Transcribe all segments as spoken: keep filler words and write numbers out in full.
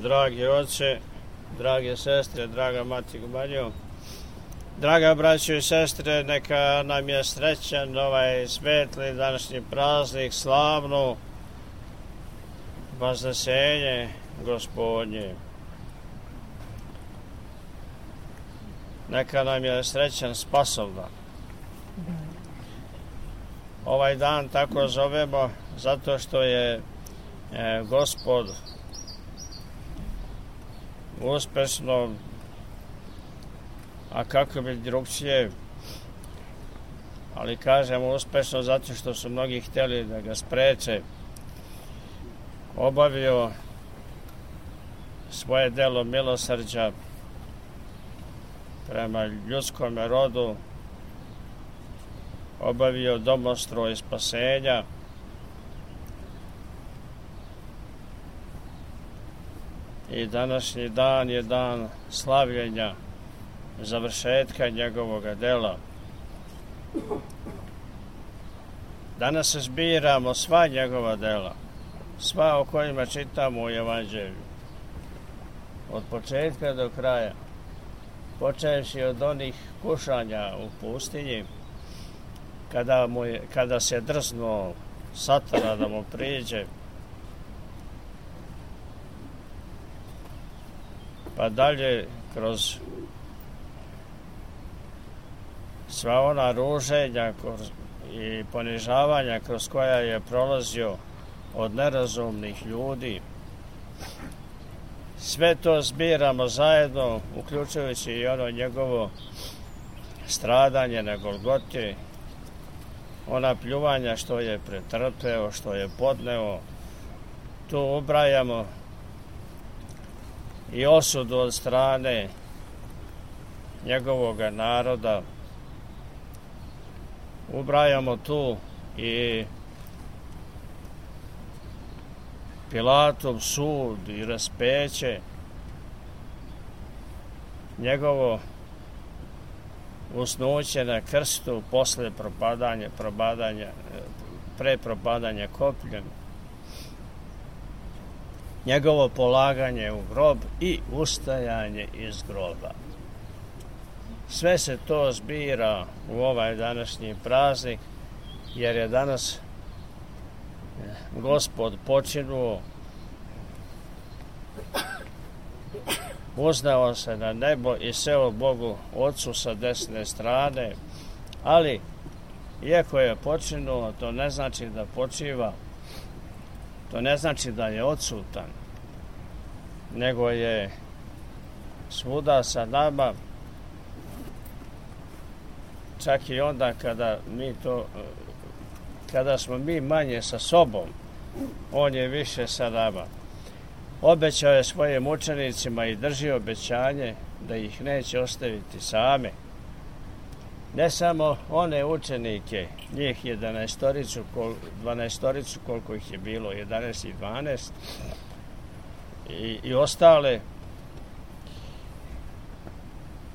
dragi oče, drage sestre, draga mati Gumanjo, draga braćo i sestre, neka nam je srećan ovaj svetli današnji praznik, slavno Vaznesenje Gospodnje. Neka nam je srećan Spasovdan. Ovaj dan tako zovemo zato što je e, Gospod uspešno, a kako bi drugčije, ali kažemo uspešno zato što su mnogi htjeli da ga spreče, obavio svoje delo milosrđa prema ljudskom rodu, obavio domostroj spasenja, i današnji dan je dan slavljenja završetka njegovoga dela. Danas se zbiramo sva njegova dela, sva o kojima čitamo u Evanđelju, od početka do kraja, počevši od onih kušanja u pustinji, kada, mu je, kada se drznuo Satana da mu priđe, pa dalje kroz sva ona ruženja i ponižavanja kroz koja je prolazio od nerazumnih ljudi. Sve to zbiramo zajedno, uključujući i ono njegovo stradanje na Golgoti, ona pljuvanja što je pretrpeo, što je podneo. Tu ubrajamo i osudu od strane njegovog naroda. Ubrajamo tu i Pilatov sud i raspeće, njegovo usnuće na krstu posle propadanja, probadanja, pre propadanja kopljem, njegovo polaganje u grob i ustajanje iz groba. Sve se to zbira u ovaj današnji praznik, jer je danas Gospod počinuo, uznao se na nebo i seo Bogu Otcu sa desne strane, ali iako je počinuo, to ne znači da počiva, to ne znači da je odsutan, nego je svuda sa nama, čak i onda kada mi to, kada smo mi manje sa sobom, on je više sa nama. Obećao je svojim učenicima i drži obećanje da ih neće ostaviti same. Ne samo one učenike, njih jedanaestoricu, dvanaestoricu, koliko ih je bilo, jedanaest i dvanaest, i, i ostale,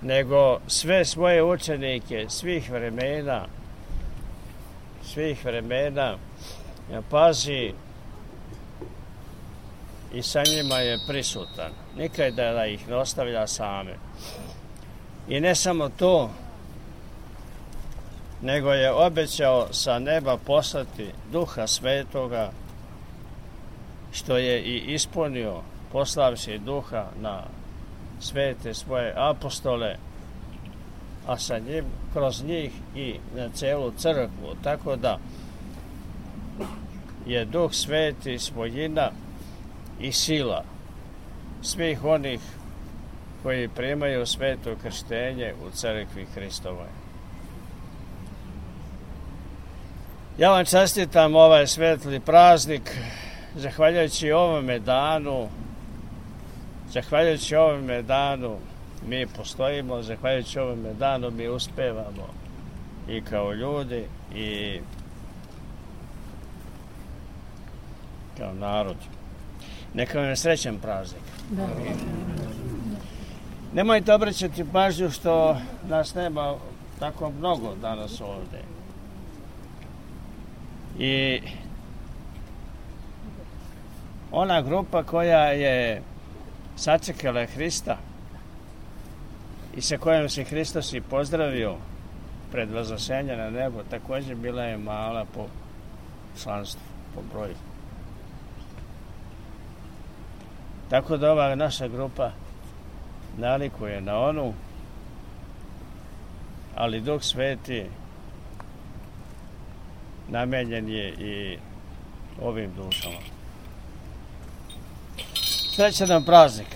nego sve svoje učenike svih vremena, svih vremena, pazi, i sa njima je prisutan. Nikada da ih ne ostavlja same. I ne samo to, nego je obećao sa neba poslati Duha Svetoga, što je i ispunio, poslavši Duha na svete svoje apostole, a sa njim, kroz njih i na celu crkvu. Tako da je Duh Sveti svojina i sila svih onih koji primaju sveto krštenje u crkvi Hristovoj. Ja vam čestitam ovaj svetli praznik, zahvaljujući ovome danu, zahvaljujući ovome danu mi postojimo, zahvaljujući ovome danu mi uspevamo i kao ljudi i kao narod. Neka vam je srećan praznik. Da. Nemojte obraćati pažnju što nas nema tako mnogo danas ovdje. I ona grupa koja je sačekala je Hrista i sa kojom se Hristos i pozdravio pred vaznošenje na nebo, također bila je mala po članstvu, po broju. Tako da ova naša grupa nalikuje na onu, ali Duh Sveti namenjen je i ovim dušama. Srećan nam praznik!